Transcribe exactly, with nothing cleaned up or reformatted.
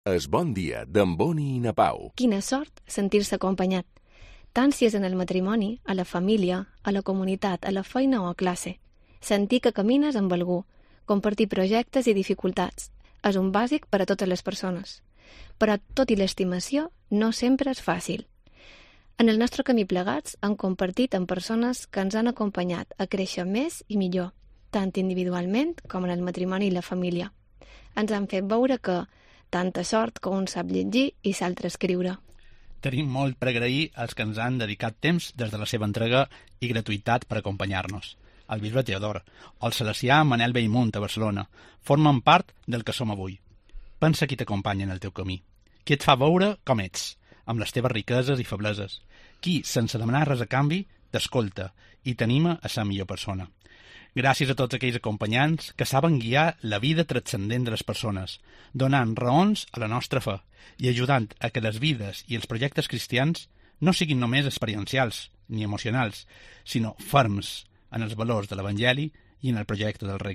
Es bon dia d'en Boni i na Pau. Quina sort sentir-se acompanyat, tant si és en el matrimoni, a la família, a la comunitat, a la feina o a classe. Sentir que camines amb algú, compartir projectes i dificultats, és un bàsic per a totes les persones. Però, tot i l'estimació, no sempre és fàcil. En el nostre camí plegats hem compartit amb persones que ens han acompanyat a créixer més i millor, tant individualment com en el matrimoni i la família. Ens han fet veure que tanta sort que un sap llegir i s'altre escriure. Tenim molt per agrair als que ens han dedicat temps des de la seva entrega i gratuïtat per acompanyar-nos. El bisbe Teodor o el salesià Manel Bellmunt a Barcelona formen part del que som avui. Pensa qui t'acompanya en el teu camí, qui et fa veure com ets, amb les teves riqueses i febleses, qui, sense demanar res a canvi, t'escolta i t'anima a ser millor persona. Gràcies a tots aquells acompanyants que saben guiar la vida transcendent de les persones, donant raons a la nostra fe i ajudant a que les vides i els projectes cristians no siguin només experiencials ni emocionals, sinó ferms en els valors de l'Evangeli i en el projecte del regne.